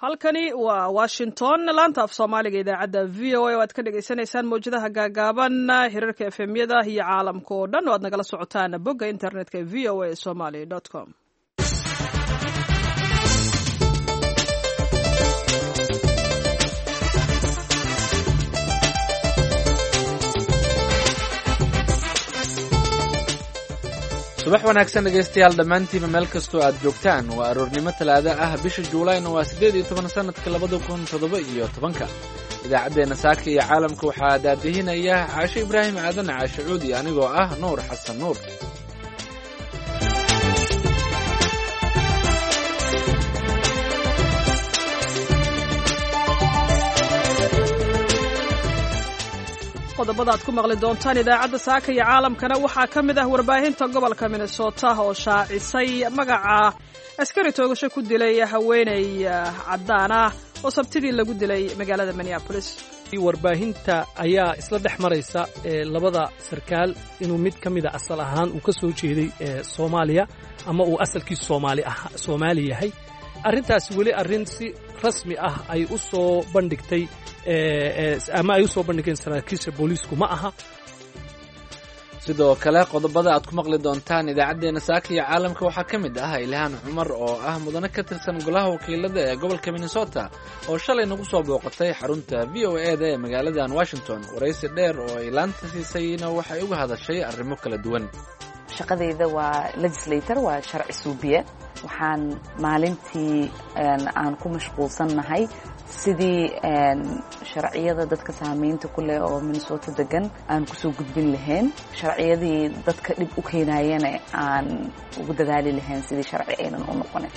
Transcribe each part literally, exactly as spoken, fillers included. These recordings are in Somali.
Halkani waa Washington, laanta af Soomaaliga, idaacadda V O A oo aad ka dhagaysanaysaan mawjadaha gaagaaban, hirarka F M-yada iyo caalamka oo dhan oo aad nagala socotaan bogga internetka V O A Somali com. Subax wanaagsan, dhegaystayaal dhammaantiiba, meel kastoo aad joogtaan. Waa aroornimo Talaado ah, bisha Juulayna waa siddeed iyo toban, sanadka labada kun toddoba iyo tobanka. Idaacaddeenna saaka iyo caalamka waxaa daadihinaya Caashe Ibraahim Aadan, Caashe Cuudi, anigoo ah Nuur Xasan Nuur. Qodobada aad ku maqli doontaan idaacadda saaka iyo caalamkana waxaa ka mid ah warbaahinta gobolka Minnesota oo shaacisay magaca askari toogasho ku dilay haweeney caddaan ah oo Sabtidii lagu dilay magaalada Minneapolis. Warbaahinta ayaa isla dhex maraysa labada sarkaal inuu mid ka mida asal ahaan uu ka soo jeeday Soomaaliya ama uu asalkiisu soomaali Soomaali yahay. Arrintaasi weli arrin si rasmi ah ay u soo bandhigtay ama ay u soo bandhigeen saraakiisha booliisku ma aha. Sidoo kale, qodobada aad ku maqli doontaan idaacaddeenna saaka iyo caalamka waxaa ka mid ah Ilhaan Cumar oo ah mudane ka tirsan golaha wakiilada ee gobolka Minnesota oo shalay nagu soo booqatay xarunta V O A da ee magaaladan Washington. Waraysi dheer oo ay laanta siisayna waxay uga hadashay arrimo kala duwan. Shaqadayda waa legislator, waa sharci suubiye. Waxaan maalintii aan ku mashquulsannahay sidii sharciyada dadka saamaynta ku leh oo Minnesota degan aan kusoo gudbin lahayn, sharciyadii dadka dhib u keenayana aan ugu dadaali lahayn sidii sharci aynan u noqonin.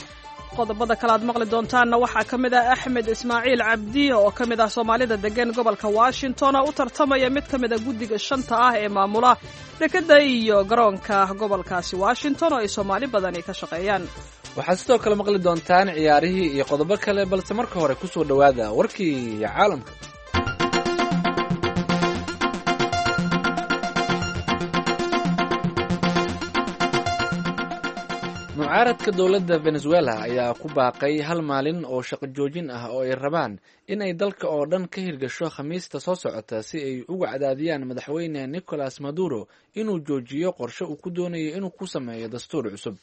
Qodobada kale aad maqli doontaanna waxaa ka mid ah Axmed Ismaaciil Cabdi oo ka mid ah Soomaalida degan gobolka Washington oo u tartamaya mid ka mid a guddiga shanta ah ee maamula dekedda iyo garoonka gobolkaasi Washington oo ay Soomaali badani ka shaqeeyaan. Waxaad sidoo kale maqli doontaan ciyaarihii iyo qodobo kale, balse marka hore kusoo dhowaada warkii caalamka. Mucaaradka dowladda Venezuela ayaa ku baaqay hal maalin oo shaqo joojin ah oo ay rabaan in ay dalka oo dhan ka hirgasho Khamiista soo socota, si ay uga cadaadiyaan madaxweyne Nicolas Maduro inuu joojiyo qorshe uu ku doonayo inuu ku sameeyo dastuur cusub.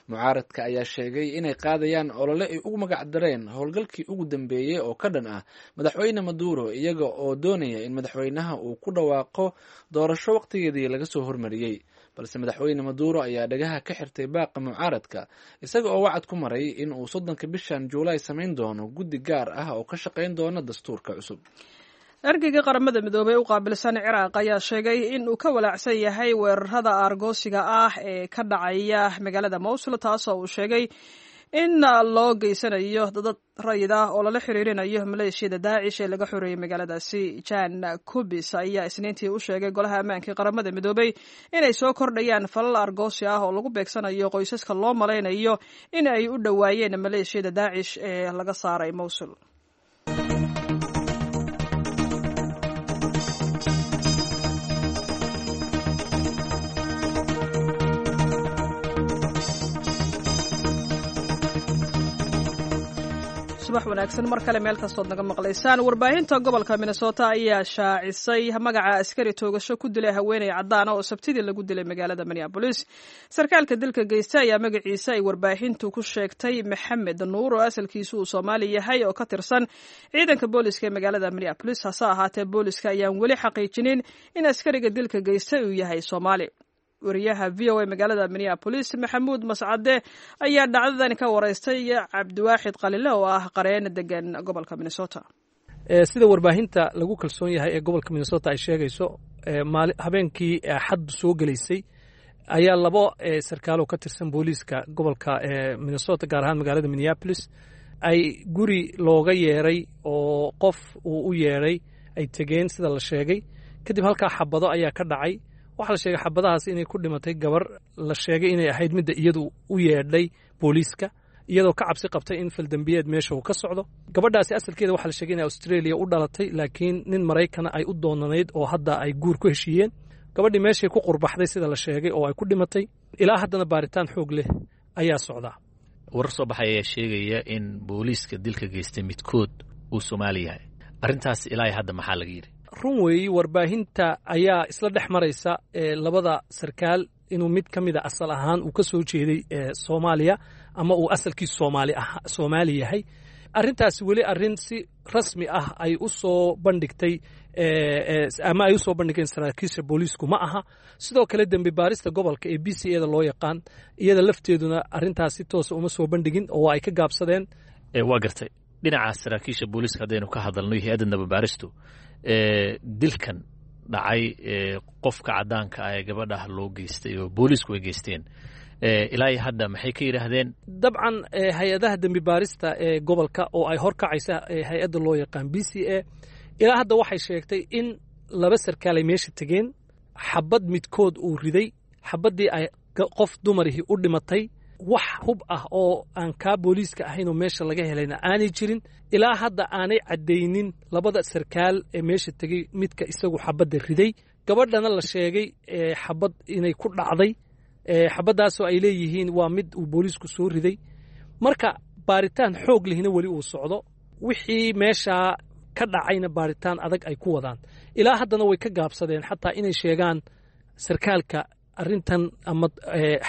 Mucaaradka ayaa sheegay inay qaadayaan olole ay ugu magac dareen howlgalkii ugu dambeeyey oo ka dhan ah madaxweyne Maduro, iyaga oo doonaya in madaxweynaha uu ku dhawaaqo doorasho waqtigeedii laga soo hormariyey. Balse madaxweyne Maduro ayaa dhagaha ka xirtay baaqa mucaaradka, isaga oo wacad ku maray in uu soddonka bishan Juulaay samayn doono guddi gaar ah oo ka shaqayn doona dastuurka cusub. Ergeyga Qaramada Midoobey u qaabilsan Ciraaq ayaa sheegay in uu ka walaacsan yahay weerarada aargoosiga ah ee ka dhacaya magaalada Mowsul, taasoo uu sheegay in loo geysanayo dad rayid ah oo lala xiriirinayo maleeshiyada Daacish ee laga xoreeyey magaaladaasi. Jan Kubis ayaa Isniintii u sheegay Golaha Ammaanka ee Qaramada Midoobey inay soo kordhayaan falal argoosi ah oo lagu beegsanayo qoysaska loo malaynayo in ay u dhowaayeen maleeshiyada Daacish ee laga saaray Mowsul. Subax wanaagsan mar kale, meel kastood naga maqlaysaan. Warbaahinta gobolka Minnesota ayaa shaacisay magaca askari toogasho ku dilay haweeney caddaana oo Sabtidii lagu dilay magaalada Minneapolis. Sarkaalka dilka geysta ayaa magaciisa ay warbaahintu ku sheegtay Maxamed Nuur, oo asalkiisu uu Soomaali yahay oo ka tirsan ciidanka booliska ee magaalada Minneapolis. Hase ahaatee, booliska ayaan weli xaqiijinin in askariga dilka geystay uu yahay Soomaali. Wariyaha V O A magaalada Minneapolis, Maxamuud Mascade, ayaa dhacdadan ka waraystay Cabdiwaaxid Qalile oo ah qareen degan gobolka Minnesota. Sida warbaahinta lagu kalsoon yahay ee gobolka Minnesota ay sheegayso, habeenkii Axaddu soo gelaysay ayaa labo sarkaaloo ka tirsan booliiska gobolka Minnesota, gaar ahaan magaalada Minneapolis, ay guri looga yeeray oo qof uu u yeeray ay tegeen, sida la sheegay. Kadib halkaa xabado ayaa ka dhacay. Waxaa la sheegay xabadahaas inay ku dhimatay gabar la sheegay inay ahayd midda iyadu u yeedhay booliiska, iyadoo ka cabsi qabtay in faldambiyeed meesha uu ka socdo. Gabadhaasi asalkeeda waxaa la sheegay inay Australia u dhalatay, laakiin nin Maraykana ay u doonanayd oo hadda ay guur ku heshiiyeen. Gabadhii meeshay ku qurbaxday, sida la sheegay, oo ay ku dhimatay. Ilaa haddana baaritaan xoog leh ayaa socdaa. Warar soo baxay ayaa sheegaya in booliiska dilka geystay midkood uu Soomaali yahay. Arrintaas ilaa hadda maxaa laga yidhi? Run weeyi, warbaahinta ayaa isla dhex maraysa labada sarkaal inuu mid ka mida asal ahaan uu ka soo jeeday Soomaaliya ama uu asalkiisu Soomaali Soomaali yahay. Arrintaasi weli arrin si rasmi ah ay u soo bandhigtay ama ay u soo bandhigeen saraakiisha booliisku ma aha. Sidoo kale dembi baarista gobolka ee B C A da loo yaqaan, iyada lafteeduna arrintaas si toosa uma soo bandhigin oo ay ka gaabsadeen. Waa gartay. Dhinaca saraakiisha booliiska haddaynu ka hadalno iyo hay-adda dambibaaristu, dilkan dhacay, qofka caddaanka ah ee gabadhah loo geystay oo booliisku ay geysteen, ilaa iyo hadda maxay ka yidhaahdeen? Dabcan, hay-adaha dembi baarista ee gobolka oo ay horkacaysa hay-adda loo yaqaan B C A ilaa hadda waxay sheegtay in laba sarkaal ay meesha tegeen, xabad midkood uu riday, xabaddii ay qof dumarihii u dhimatay, wax hub ah oo aan kaa booliiska ahayn oo meesha laga helayna aanay jirin. Ilaa hadda aanay caddaynin labada sarkaal ee meesha tegey midka isagu xabadda riday. Gabadhana la sheegay xabad inay ku dhacday, xabaddaasoo ay leeyihiin waa mid uu booliisku soo riday. Marka baaritaan xoog lihina weli uu socdo, wixii meeshaa ka dhacayna baaritaan adag ay ku wadaan. Ilaa haddana way ka gaabsadeen xataa inay sheegaan sarkaalka arrintan ama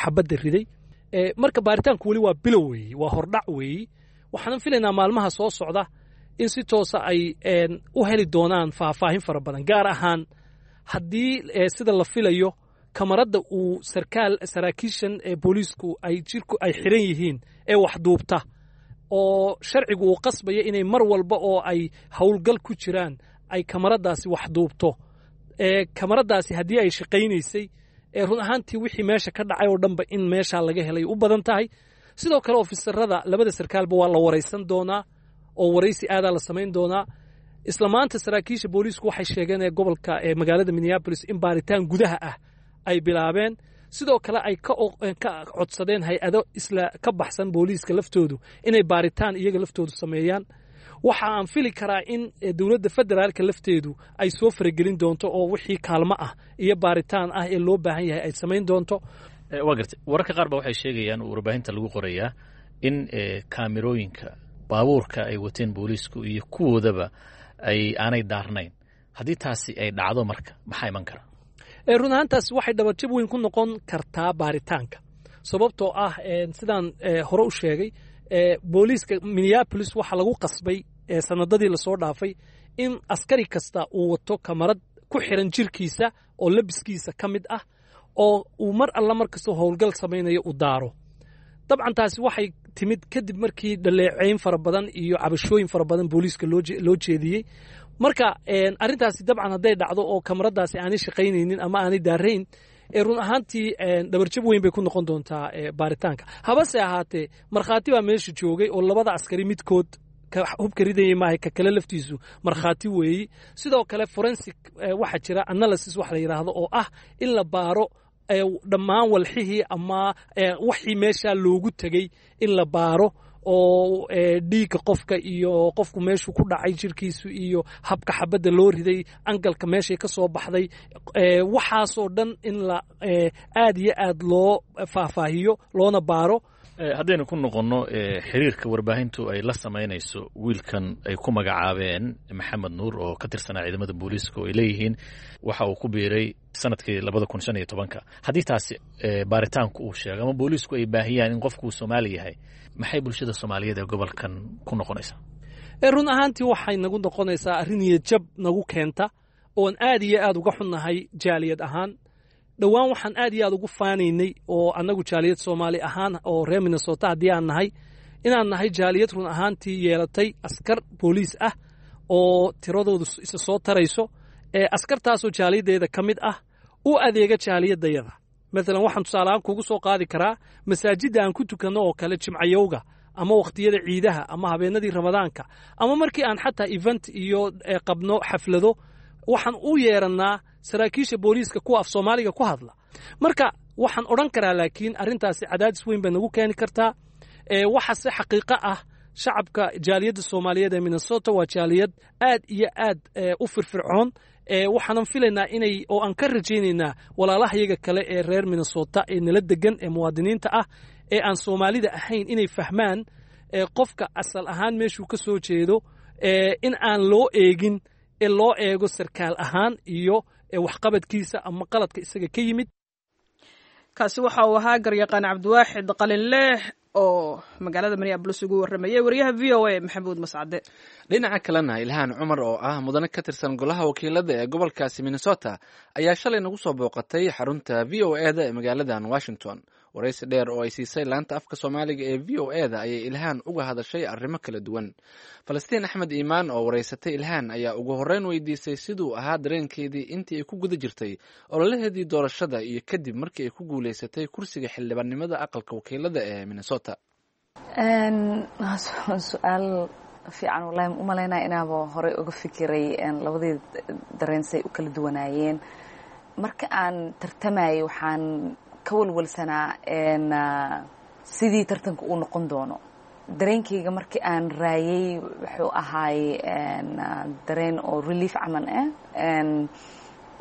xabadda riday. Marka baaritaanku weli waa bilow weeyi, waa hordhac weeyi. Waxaanan filaynaa maalmaha soo socda in si toosa ay u heli doonaan faahfaahin fara badan, gaar ahaan haddii sida la filayo kamarada uu sarkaal saraakiishan ee booliisku ay jirku ay xiran yihiin ee waxduubta, oo sharcigu uu qasbaya inay mar walba oo ay howlgal ku jiraan ay kamaradaasi waxduubto. Kamaradaasi haddii ay shaqaynaysay, run ahaantii wixii meesha ka dhacay oo dhanba in meeshaa laga helay u badan tahay. Sidoo kale ofisarada labada sarkaalba waa la waraysan doonaa oo waraysi aadaa la samayn doonaa. Isla maanta saraakiisha booliisku waxay sheegeen ee gobolka ee magaalada Minneapolis in baaritaan gudaha ah ay bilaabeen, sidoo kale ay ka codsadeen hay-ado isla ka baxsan booliiska laftoodu inay baaritaan iyaga laftoodu sameeyaan. Waxa aan fili karaa in dowladda federaalka lafteedu ay soo faragelin doonto oo wixii kaalmo ah iyo baaritaan ah ee loo baahan yahay ay samayn doonto. Waa gartay. Wararka qaar ba waxay sheegayaan oo warbaahinta lagu qorayaa in kaamirooyinka baabuurka ay wateen booliisku iyo kuwoodaba ay aanay daarnayn. Haddii taasi ay dhacdo, marka maxaa iman kara? Run ahaantaas waxay dhabarjab weyn ku noqon kartaa baaritaanka, sababtoo ah sidaan hore u sheegay, booliiska Minneapolis waxaa lagu qasbay sanadadii lasoo dhaafay in askari kasta uu wato kamarad ku xiran jirkiisa oo labiskiisa ka mid ah, oo uu mar alla mar kastoo howlgal samaynayo uu daaro. Dabcan taasi waxay timid kadib markii dhaleeceyn fara badan iyo cabashooyin fara badan booliiska loo jeediyey. Marka arrintaasi dabcan hadday dhacdo oo kamaradaasi aanay shaqaynaynin ama aanay daarayn, run ahaantii dhabarjab weyn bay ku noqon doontaa baaritaanka. Habase ahaatee, markhaati baa meesha joogay oo labada askari midkood ka hubka ridayay maaha, ka kale laftiisu markhaati weeyi. Sidoo kale forensic waxaa jira analysis wax la yidhaahdo oo ah in la baaro dhammaan walxihii ama waxii meesha loogu tegey in la baaro, oo dhiigga qofka iyo qofku meeshuu ku dhacay jirkiisu iyo habka xabadda loo riday, angalka meeshay ka soo baxday, waxaasoo dhan in la aad iyo aad loo faahfaahiyo loona baaro. Haddaynu ku noqonno xiriirka warbaahintu ay la samaynayso wiilkan ay ku magacaabeen Maxamed Nuur oo ka tirsanaa ciidamada booliiska, oo ay leeyihiin waxa uu ku biiray sanadkii labada kun shan iyo tobanka, haddii taasi baaritaanku uu sheego ama booliisku ay baahiyaan in qofku uu Soomaali yahay, maxay bulshada Soomaaliyeed ee gobolkan ku noqonaysaa? Run ahaantii waxay nagu noqonaysaa arrin niyadjab nagu keenta oon aad iyo aad uga xunnahay jaaliyad ahaan. Dhowaan waxaan aad iyo aad ugu faanaynay oo annagu jaaliyad Soomaali ahaan oo reer Minnesota haddii aan nahay, inaan nahay jaaliyad run ahaantii yeelatay askar booliis ah oo tiradoodu isa soo tarayso, askartaasoo jaaliyaddeeda ka mid ah, u adeega jaaliyadayada. Maalan waxaan tusaaleahaan kugu soo qaadi karaa masaajidda aan ku tukanno oo kale jimcayowga ama wakhtiyada ciidaha ama habeenadii Ramadaanka ama markii aan xataa event iyo qabno xaflado, waxaan u yeerannaa saraakiisha booliiska kuwa af Soomaaliga ku hadla. Marka waxaan odhan karaa laakiin arrintaasi cadaadis weyn bay nagu keeni kartaa. Waxaase xaqiiqo ah shacabka jaaliyadda Soomaaliyeed ee Minnesota waa jaaliyad aad iyo aad u firfircoon. Waxaanan filaynaa inay oo aan ka rajaynaynaa walaalahayaga kale ee reer Minnesota ee nala degan ee muwaadiniinta ah ee aan Soomaalida ahayn inay fahmaan qofka asal ahaan meeshuu ka soo jeedo in aan loo eegin, ee loo eego sarkaal ahaan iyo waxqabadkiisa ama qaladka isaga ka yimid. Kaasi waxa uu ahaa garyaqaan Cabdiwaaxid Qalinleh oo magaalada Minneapolis ugu warramayay wariyaha V O A Maxamuud Mascade. Dhinaca kalena, Ilhaan Cumar oo ah mudane ka tirsan golaha wakiilada ee gobolkaasi Minnesota ayaa shalay nagu soo booqatay xarunta V O E da ee magaaladan Washington. Waraysi dheer oo ay siisay laanta afka Soomaaliga ee V O E da ayay Ilhaan uga hadashay arrimo kala duwan. Falastiin Axmed Iimaan oo waraysatay Ilhaan ayaa ugu horreyn weydiisay siduu ahaa dareenkeedii intii ay ku guda jirtay ololaheedii doorashada iyo kadib markii ay ku guulaysatay kursiga xildhibaannimada aqalka wakiilada ee Minnesota. Su-aal fiican wallahi. Ma umalaynaya inaaba horey uga fikiray labadii dareensay u kala duwanaayeen. Marka aan tartamayay, waxaan ka walwalsanaa sidii tartanka uu noqon doono. Dareenkayga markii aan raayay wuxuu ahaay dareen oo relief camal ah.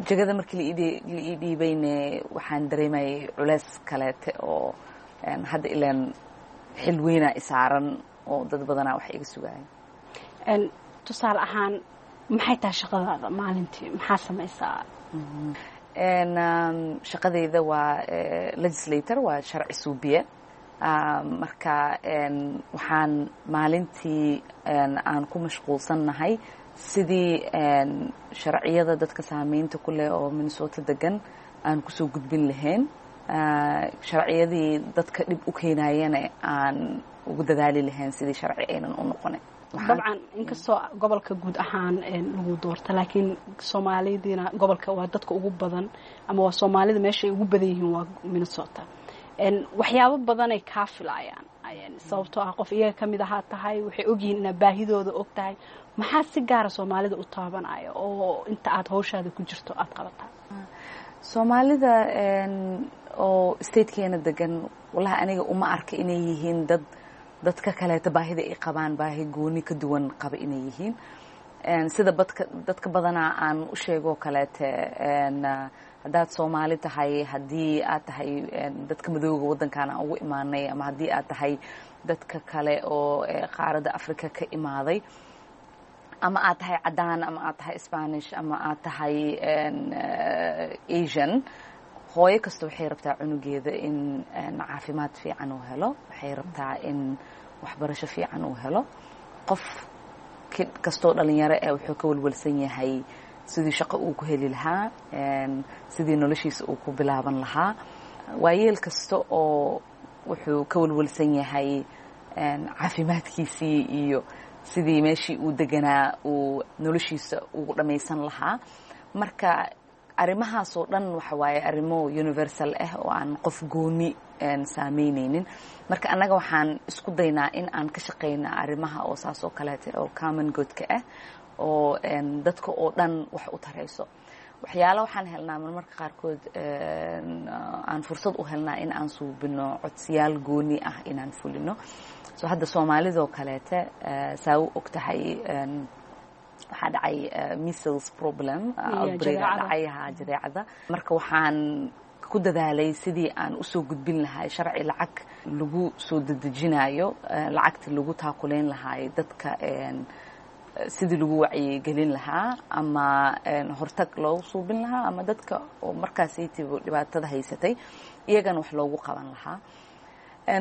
Jagada markii la ii dhiibayne, waxaan dareemayay culeys kaleete oo hadda ilaan xil weynaa isaaran oo dad badanaa wax iga sugaaya. Tusaale ahaan, maxay tahay shaqadaada maalintii? Maxaa samaysaa? Shaqadayda waa legislator, waa sharci suubiye. Marka waxaan maalintii aan ku mashquulsannahay sidii sharciyada dadka saameynta ku leh oo Minnesota degan aan kusoo gudbin lahayn, sharciyadii dadka dhib u keenayana aan ugu dadaali lahayn sidii sharci aynan u noqonin. Dabcan, inkastoo gobolka guud ahaan lagu doorta, laakiin Soomaalidiina gobolka waa dadka ugu badan ama waa Soomaalida meesha ay ugu badan yihiin waa Minnesota. Waxyaabo badanay kaa filaayaan, sababtoo ah qof iyaga kamid ahaa tahay, waxay ogyihiin inaad baahidooda og tahay. Maxaa si gaara Soomaalida u taabanaya oo inta aad hawshaada ku jirto aada qabataa? Soomaalida oo statekeena degan, wallahi aniga uma arka inay yihiin dad dadka kaleeto baahida ay qabaan baahi gooni ka duwan qaba inay yihiin. Sida badka dadka badanaa aan u sheegoo kaleete, haddaad Soomaali tahay, haddii aad tahay dadka madooga waddankan aan ugu imaanay, ama haddii aad tahay dadka kale oo qaaradda Africa ka imaaday, ama aad tahay caddaan, ama aad tahay Spanish, ama aad tahay Asian, hooyo kasta waxay rabtaa cunugeeda in caafimaad fiican uu helo, waxay rabtaa in waxbarasho fiican uu helo. Qof kastoo dhalinyaro eh wuxuu ka walwalsan yahay sidii shaqo uu ku heli lahaa, sidii noloshiisa uu ku bilaaban lahaa. Waayeel kasta oo wuxuu ka walwalsan yahay caafimaadkiisii iyo sidii meeshii uu deganaa uu noloshiisa ugu dhammaysan lahaa. Marka arrimahaasoo dhan waxa waaye arrimo universal ah oo aan qof gooni saameyneynin. Marka annaga waxaan isku daynaa in aan ka shaqeyna arrimaha oo saas oo kaleeta oo common goodka ah oo dadka oo dhan wax u tarayso. Waxyaala waxaan helnaa marmarka qaarkood aan fursad u helnaa in aan suubino codsiyaal gooni ah inaan fulino. So hadda Soomaalidoo kaleete, saa u og tahay, waxaa dhacay measles problem outbreak dhacay, ha, jadeecada. Marka waxaan ku dadaalay sidii aan usoo gudbin lahay sharci lacag lagu soo dedejinayo, lacagta lagu taakuleyn lahaay dadka, sidii lagu wacyigelin lahaa ama hortag loogu suubin lahaa, ama dadka oo markaasaytiba dhibaatada haysatay iyagana wax loogu qaban lahaa.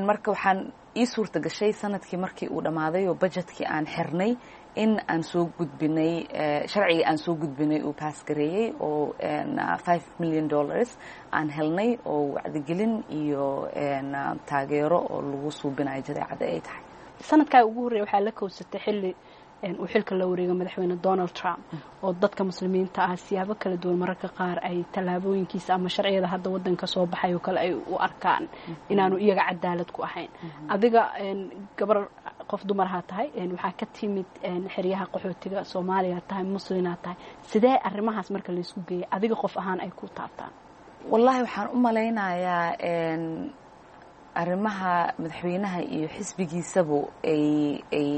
Marka waxaan ii suurta gashay sanadkii markii uu dhammaaday oo budgetkii aan xirnay in aan soo gudbinay sharcigii aan soo gudbinay uu pass gareeyey oo five million dollars aan helnay oo wacdigelin iyo taageero oo lagu suubinayo jadeecada ay tahay. Sanadkaa ugu horreeya waxaa la kowsatay xilli uu xilka la wareego madaxweyne Donald Trump, oo dadka Muslimiinta ah siyaabo kala duwan mararka qaar ay tallaabooyinkiisa ama sharciyada hadda waddanka soo baxay oo kale ay u arkaan inaanu iyaga cadaalad ku ahayn. Adiga gabar, qof dumarahaa tahay, waxaa ka timid xeryaha qaxootiga, Soomaaliya tahay, muslinaa tahay. Sidee arrimahaas marka laysku geeyay adiga qof ahaan ay ku taabtaan? Wallahi waxaan u malaynayaa arrimaha madaxweynaha iyo xisbigiisabu ay ay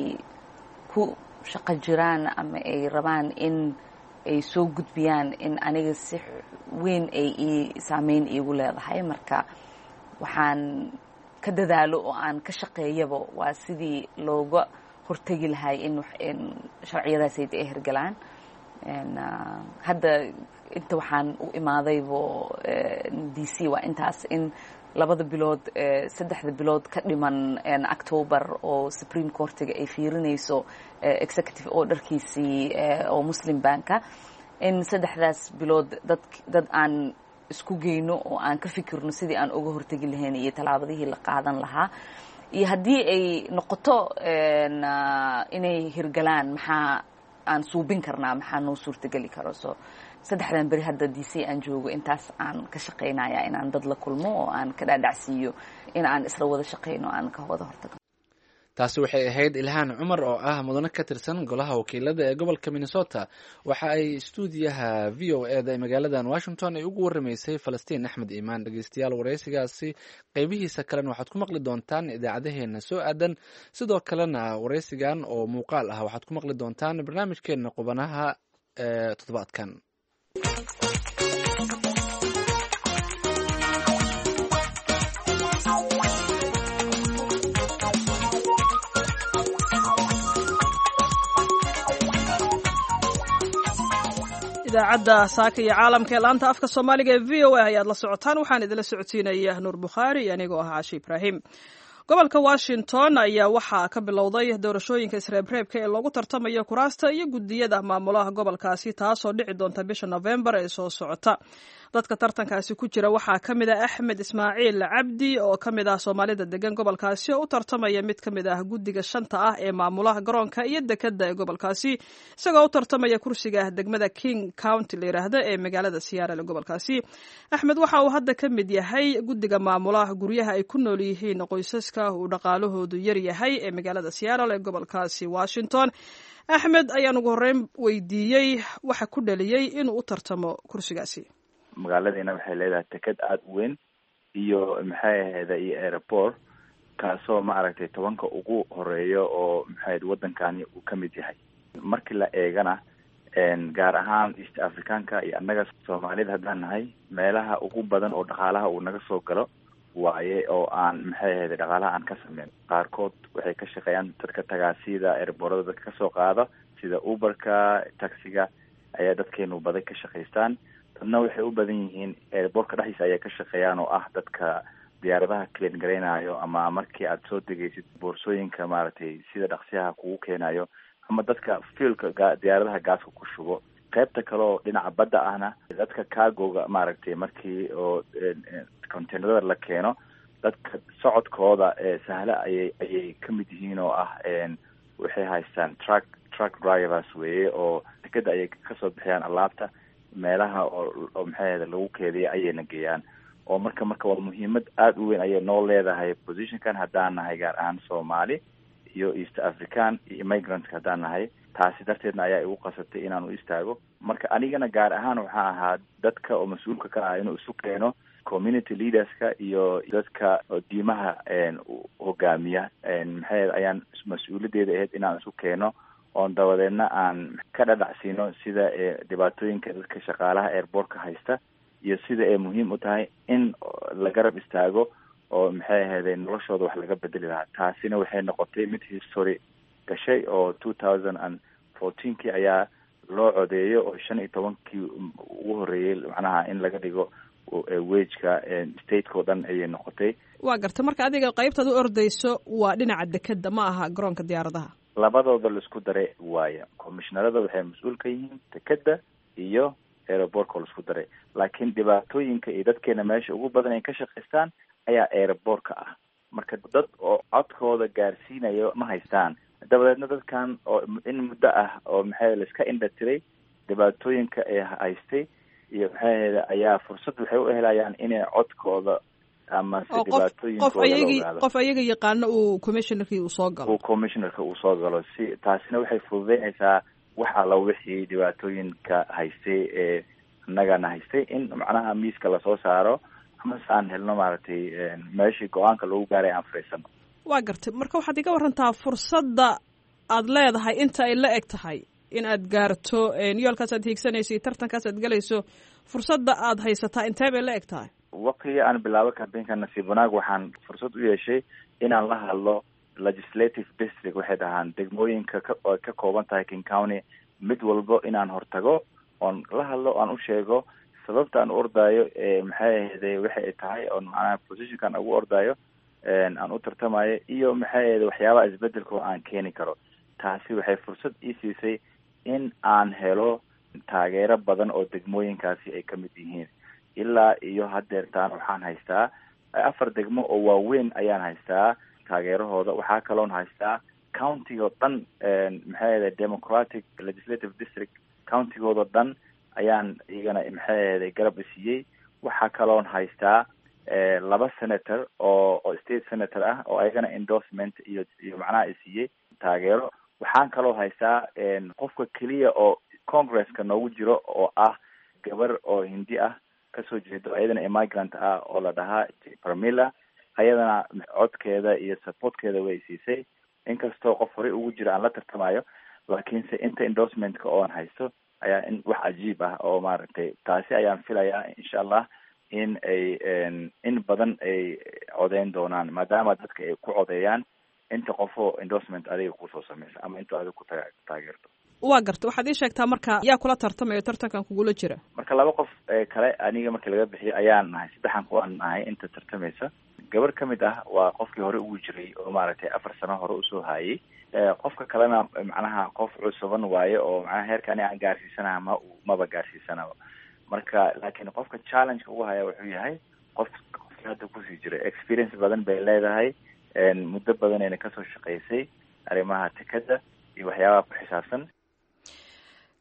ku shaqo jiraan ama ay rabaan in ay soo gudbiyaan in aniga si weyn ay ii saameyn iigu leedahay. Marka waxaan ka dadaalo oo aan ka shaqeeyaba waa sidii looga hortegi lahay in sharciyadaasayda ay hirgalaan. Hadda inta waxaan u imaadaybo D C waa intaas, in labada bilood, saddexda bilood ka dhiman October oo Supreme Courtiga ay fiirinayso executive orderkiisii oo Muslim banka, in saddexdaas bilood dad dad aan isku geyno oo aan ka fikirno sidii aan uga hortegi lahayn iyo tallaabadihii la qaadan lahaa, iyo haddii ay noqoto inay hirgalaan maxaa aan suubin karnaa, maxaa noo suurtageli karo. So saddexdan beri hadda D C aan joogo intaas aan ka shaqaynaya, inaan dad la kulmo oo aan ka dhaadhacsiiyo in aan isla wada shaqayno, aan ka wada hortagno. Taasi waxay ahayd Ilhaan Cumar oo ah mudane ka tirsan golaha wakiilada ee gobolka Minnesota. Waxa ay istuudiyaha V O E da ee magaaladan Washington ay ugu waramaysay Falastiin Axmed Iimaan. Dhegeystayaal, wareysigaasi qeybihiisa kalena waxaad ku maqli doontaan idaacadaheena soo aadan. Sidoo kalena wareysigan oo muuqaal ah waxaad ku maqli doontaan barnaamijkeena qubanaha ee toddobaadkan. Idaacadda Saaka iyo Caalamka ee laanta afka Soomaaliga ee V O A ayaad la socotaan. Waxaan idinla socodsiinaya Nuur Bukhaari iyo anigoo ah Caashi Ibraahim. Gobolka Washington ayaa waxaa ka bilowday doorashooyinka isreebreebka ee loogu tartamayo kuraasta iyo guddiyada maamulaha gobolkaasi, taasoo dhici doonta bisha Novembar ee soo socota. Dadka tartankaasi ku jira waxaa ka mid ah Axmed Ismaaciil Cabdi oo ka mid ah Soomaalida degan gobolkaasi oo u tartamaya mid ka mid ah guddiga shanta ah ee maamulaha garoonka iyo dekadda ee gobolkaasi, isagoo u tartamaya kursiga degmada King County la yidhaahdo ee magaalada Seattle ee gobolkaasi. Axmed waxa uu hadda ka mid yahay guddiga maamulaha guryaha ay ku nool yihiin qoysaska uu dhaqaalahoodu yar yahay ee magaalada Seattle ee gobolkaasi Washington. Axmed ayaan ugu horreyn weydiiyey waxa ku dhaliyey inuu u tartamo kursigaasi. Magaaladiina waxay leedahay teked aada u weyn iyo maxay ahayda iyo airport, kaasoo maaragtay tobanka ugu horeeya oo maxay waddankani uu ka mid yahay. Markii la eegana gaar ahaan East Africanka iyo annaga Soomaalida haddaan nahay, meelaha ugu badan oo dhaqaalaha uu naga soo galo waaye, oo aan maxay ahayda dhaqaalaha aan ka sameyn. Qaarkood waxay ka shaqeeyaan dadka tagaasida airportada dadka kasoo qaada, sida Uberka, taxiga ayaa dadkeenu badan ka shaqaystaan. Dadna waxay u badan yihiin airportka dhexdiisa ayay ka shaqeeyaan, oo ah dadka diyaaradaha clean garaynayo, ama markii aad soo degaysid boorsooyinka maaragtay sida dhaqsiyaha kugu keenayo, ama dadka fuelka diyaaradaha gaaska ku shubo. Qaybta kale oo dhinaca badda ahna dadka cargoga maaragtay markii oo containerada la keeno, dadka socodkooda sahla ayay ayay ka mid yihiin, oo ah waxay haystaan truck truck drivers weeye, oo dekeda ayay kasoo bixiyaan alaabta meelaha oo oo maxay ahayda lagu keediya ayayna geeyaan. Oo marka marka waa muhiimad aada u weyn ayay noo leedahay positionkan haddaan nahay gaar ahaan Soomaali iyo East African iyo immigrantska haddaan nahay. Taasi darteedna ayaa igu qasabtay inaan u istaago. Marka anigana gaar ahaan waxaa ahaa dadka oo mas-uulka ka ah inuu isu keeno community leaderska iyo dadka diimaha hogaamiya. Maxay ayaan mas-uuliyaddeeda ahayd inaan isu keeno oon dabadeedna aan ka dhadhacsiino sida dhibaatooyinka dadka shaqaalaha airportka haysta iyo sida ay muhiim u tahay in la garab istaago oo maxay ahayday noloshooda wax laga bedeli lahaa. Taasina waxay noqotay mid history gashay oo two thousand and fourteenkii ayaa loo codeeyay, oo shan iyo tobankii ugu horreeyey macnaha in laga dhigo wageka stateka oo dhan ayay noqotay. Waa garta. Marka adiga qaybtaad u ordayso waa dhinaca dekeda, ma aha garoonka diyaaradaha? Labadooda laisku daray waaya. Commishnarada waxay mas-uul ka yihiin dekeda iyo airportka oo laisku daray, laakiin dhibaatooyinka iyo dadkeena meesha ugu badan ay ka shaqaystaan ayaa airportka ah. Marka dad oo codkooda gaarsiinayo ma haystaan. Dabadeedna dadkan oo in muddo ah oo maxay laiska indha tiray dhibaatooyinka ay haystay iyo maxay ahayda ayaa fursad waxay u helayaan inay codkooda ama se qof ayagi qof ayaga yaqaano uu commissionerkii uu soo galo uu commissionerka uu soo galo. Si taasina waxay fududeynaysaa wax alla wixii dhibaatooyinka haystay ee annagana haystay in macnaha miiska lasoo saaro, ama se aan helno maaragtay meeshii go-aanka lagu gaaray aan fariisano. Waa gartay. Marka waxaad iga warantaa fursadda aad leedahay inta ay la eg tahay in aad gaarto yoolkaas aad hiigsanayso iyo tartankaas aad galayso, fursadda aad haysataa intee bay la eg tahay? Waqtigii aan bilaabo campaignka, nasiib wanaag waxaan fursad u yeeshay inaan la hadlo legislative district, waxay dhahaan degmooyinka ka ka kooban tahay King County, mid walbo inaan hortago oon la hadlo, aan u sheego sababta aan u ordaayo, maxay ahayde, waxay tahay oon macnaha positionkan ugu ordaayo, aan u tartamayo, iyo maxay ahayde waxyaabaha isbedelka oo aan keeni karo. Taasi waxay fursad ii siisay in aan helo taageero badan oo degmooyinkaasi ay ka mid yihiin. Ilaa iyo haddeertaan waxaan haystaa afar degmo oo waaweyn ayaan haystaa taageerahooda. Waxaa kaloon haystaa countygo dhan, maxay ahayde, Democratic legislative district countygoodao dhan ayaan iyagana, maxay ahayde, garab isiiyey. Waxaa kaloon haystaa laba senator oo oo state senator ah oo ayagana endorsement iyo iyo macnaha isiiyey taageero. Waxaan kaloo haystaa qofka keliya oo congresska noogu jiro oo ah gabar oo Hindi ah kasoo jeedo, ayadana immigrant ah, oo la dhahaa Pramila. Ayadana codkeeda iyo supportkeeda way siisay. Inkastoo qof horey ugu jira aan la tartamayo, laakiinse inta endorsementka oon haysto ayaa in wax cajiib ah oo maaragtay taasi ayaan filayaa insha Allah in ay in badan ay codeyn doonaan, maadaama dadka ay ku codeeyaan inta qofoo endorsement adiga kusoo sameysa ama inta adiga ku taageerto. Waa garta. Waxaad ii sheegtaa marka, yaa kula tartamayo tartankan kugula jira? Marka laba qof kale aniga marka laga bixiyo ayaan nahay, saddexan kuwaan nahay inta tartamaysa. Gabar ka mid ah waa qofkii hore ugu jiray oo maaragtay afar sano hore usoo haayay. Qofka kalena macnaha qof cusuban waaye oo macnaha heerka ani aan gaarsiisanaha ma maba gaarsiisanaba. Marka laakiin qofka challengeka ugu haya wuxuu yahay qof qofkii hadda kusii jiray. Experience badan bay leedahay, muddo badanayna kasoo shaqaysay arrimaha tekada iyo waxyaabaha ku xisaabsan.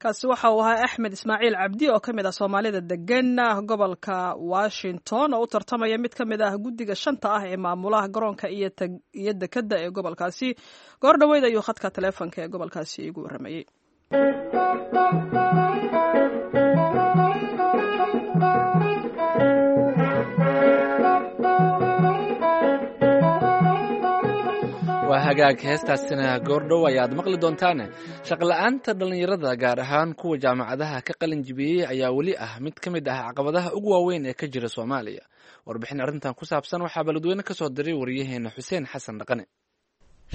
Kaasi waxa uu ahaa Axmed Ismaaciil Cabdi oo ka mid ah Soomaalida degan gobolka Washington oo u tartamaya mid ka mid ah guddiga shanta ah ee maamulaha garoonka iyo iyo dekadda ee gobolkaasi. Goor dhoweyd ayuu khadka taleefonka ee gobolkaasi igu warramayey. Waa hagaag, heestaasina goordhow ayaad maqli doontaane. Shaqla-aanta dhallinyarada, gaar ahaan kuwa jaamacadaha ka qalin jibiyey, ayaa weli ah mid ka mid ah caqabadaha ugu waaweyn ee ka jira Soomaaliya. Warbixin arrintan ku saabsan waxaa beledweyne ka soo diray wariyaheena Xuseen Xasan Dhaqane.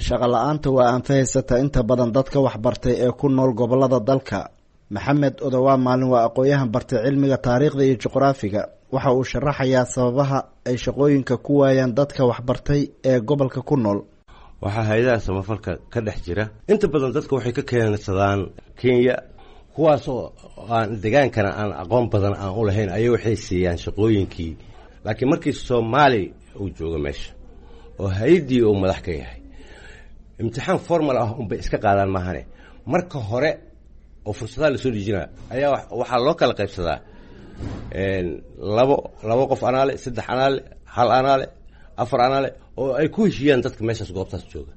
Shaqo la-aanta waa anfahaysata inta badan dadka waxbartay ee ku nool gobolada dalka. Maxamed Odowaa Maalin waa aqoon-yahan bartay cilmiga taariikhda iyo juqraafiga. Waxa uu sharaxayaa sababaha ay shaqooyinka ku waayaan dadka waxbartay ee gobolka ku nool. Waxaa hay-adaha samafalka ka dhex jira inta badan dadka waxay ka keensadaan Kenya, kuwaasoo aan degaankana aan aqoon badan aan u lahayn ayay waxay siiyaan shaqooyinkii. Laakiin markii Soomaali uu joogo meesha oo hay-addii uu madax ka yahay, imtixaan formal ah unbay iska qaadaan maahane, marka hore oo fursadaha lasoo dejinaya ayaa waxaa loo kala qaybsadaa labo labo qof anaale, saddex anaale, hal anaale, afar anaale, oo ay ku heshiiyaan dadka meeshaas goobtaas jooga.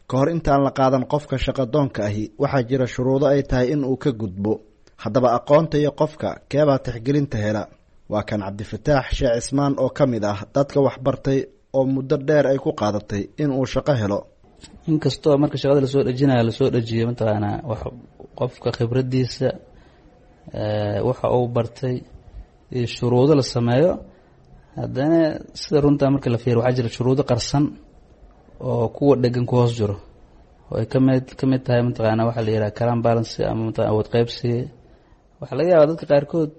Ka hor intaan la qaadan qofka shaqadoonka ahi, waxaa jira shuruudo ay tahay in uu ka gudbo. Haddaba aqoonta iyo qofka keebaa tixgelinta hela? Waa kan Cabdifataax Sheekh Cismaan oo ka mid ah dadka waxbartay oo muddo dheer ay ku qaadatay in uu shaqo helo. Inkastoo marka shaqada lasoo dhejinayo lasoo dhejiyo mataqaanaa wax qofka khibradiisa, waxa uu bartay iyo shuruudo la sameeyo, haddana sida runtaa marka la fiiriyo waxaa jira shuruudo qarsan oo kuwa dhegan ku hoos jiro, oo ay kamid ka mid tahay mataqaanaa waxaa la yidhaha clan balance ama mataqana awood qaybsi. Waxaa laga yaabaa dadka qaarkood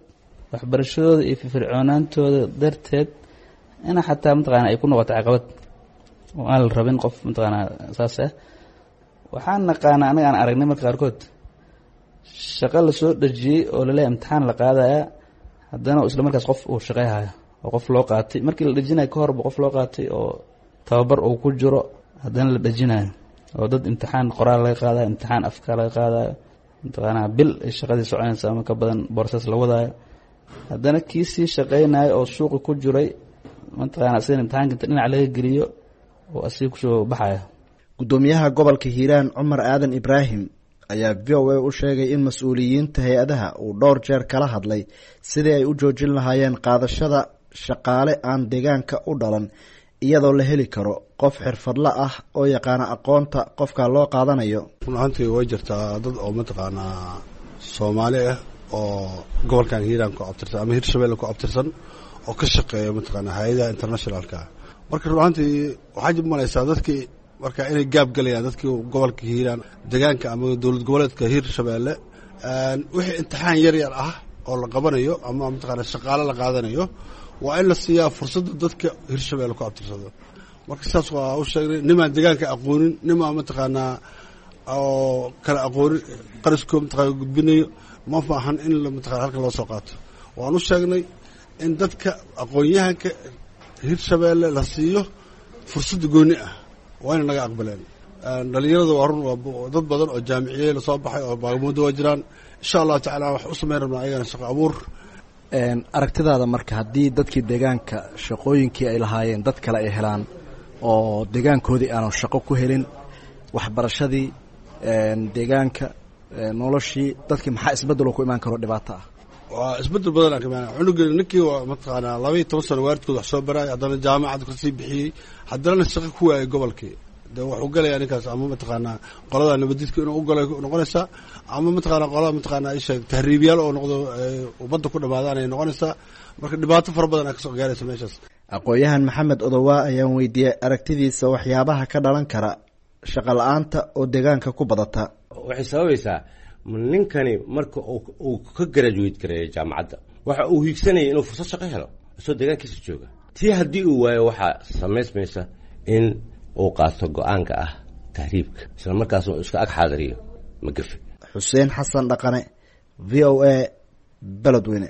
waxbarashadooda iyo firfircoonaantooda darteed ina xataa mataqaana ay ku noqoto caqabad oo aan la rabin qof mataqaanaa saas ah. Waxaan naqaanaa anaga aan aragnay marka qaarkood shaqo lasoo dhejiyey oo laleeyahay imtixaan la qaadaya, haddana isla markaas qof uu shaqeyhayo oo qof loo qaatay markii la dhejinayo ka horba, qof loo qaatay oo tababar uu ku jiro haddana la dhejinayo, oo dad imtixaan qoraal laga qaadayo, imtixaan afka laga qaadayo, mataqaanaa bil ay shaqadii soconaysa ama ka badan boorsaas la wadaayo, haddana kii sii shaqeynayo oo suuqi ku jiray mataqaana asigan imtixaanka inta dhinac laga geliyo oo asiga kusoo baxaya. Guddoomiyaha gobolka Hiiraan Cumar Aadan Ibraahim ayaa V O A u sheegay in mas-uuliyiinta hay-adaha uu dhowr jeer kala hadlay sidii ay u joojin lahaayeen qaadashada shaqaale aan deegaanka u dhalan iyadoo la heli karo qof xirfadla ah oo yaqaana aqoonta qofka loo qaadanayo. Run ahaantii way jirtaa dad oo mataqaanaa Soomaali ah oo gobolkan Hiiraan ku abtirsan ama Hirshabelle ku abtirsan oo ka shaqeeya mataqaanaa hay-adaha internationalka. Marka run ahaantii waxaa jib malaysaa dadkii marka inay gaab galayaan dadkii gobolka Hiiraan deegaanka ama dowlad goboleedka Hirshabelle wixii imtixaan yar yar ah oo la qabanayo ama mataqaanaa shaqaale la qaadanayo waa in la siiyaa fursadda dadka Hirshabelle ku abtirsado. Marka sidaas waa u sheegnay nimaan deegaanka aqoonin, nimaan mataqaanaa oo kala aqoonin qariskoo mataqaana gudbinayo ma faahan in la mataqaana halkan loo soo qaato. Waan u sheegnay in dadka aqoon-yahanka Hirshabelle la siiyo fursadda gooni ah, waa inay naga aqbaleen. Dhalinyarada waa run, waa dad badan oo jaamiciyey lasoo baxay oo baagamuudda waa jiraan. Insha allahu tacaala wax u samayn rabnaa ayagana shaqo abuur. Aragtidaada marka haddii dadkii deegaanka shaqooyinkii ay lahaayeen dad kale ay helaan oo deegaankoodii aanu shaqo ku helin, waxbarashadii deegaanka, noloshii dadkii, maxaa isbeddeloo ku imaan karo dhibaato ah? Waa isbeddel badan aan ka imaanaya. Cunuga ninkii waa mataqaanaa laba iyo toban sano waalidkood wax soo baraay, haddana jaamacad kasii bixiyey, haddana shaqo ku waayay gobolkii. De wuxuu galayaa ninkaas ama mataqaanaa qolada nabadiidka inuu u galay noqonaysaa, ama mataqaanaa qolada mataqaanaa isheeg tahriibyaal oo noqdo ummadda ku dhamaadaan ay noqonaysaa. Marka dhibaato fara badan aa kasoo gaaraysa meeshaas. Aqoon-yahan Maxamed Odowaa ayaan weydiiyey aragtidiisa waxyaabaha ka dhalan kara shaqo la-aanta oo deegaanka ku badata. Waxay sababaysaa ninkani marka uu ka graduate gareeyo jaamacadda waxa uu hiigsanaya inuu fursad shaqo helo isoo deegaankiisa jooga. Tii haddii uu waayo waxaa samaysmaysa in uu qaato go-aanka ah tahriibka, isla markaas uu iska ag xaadiriyo magafe. Xuseen Xasan Dhaqane, V O A, Beledweyne.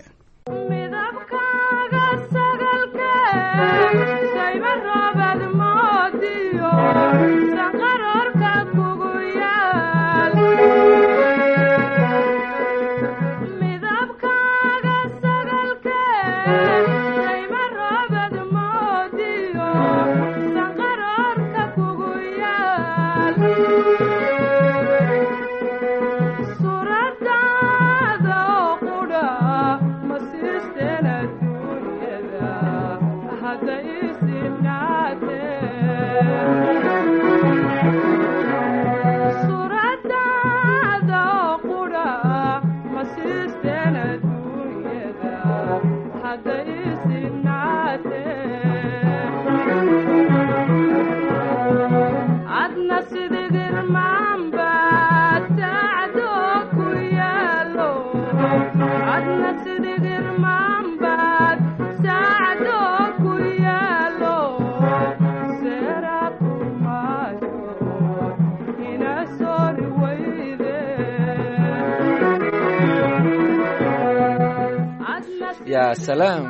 Yaa salaam,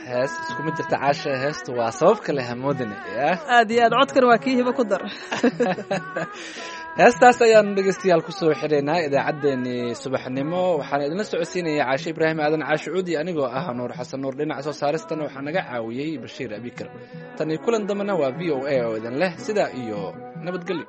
hees iskuma jirta caasha. Heesta waa sabab kale hamoodane. Aad iyo aad, codkan waa kii hibo ku dar. Heestaas ayaanu dhegeystayaal kusoo xidhaynaa idaacaddeenii subaxnimo. Waxaana idinla socodsiinaya Caashe Ibraahim Aadan Caashe Cuudi, anigoo ah Nuur Xasan Nuur. Dhinaca soo saaristana waxaa naga caawiyey Bashiir Abikar. Tan iyo kulan dambena waa V O A oo idin leh sidaa iyo nabadgelyo.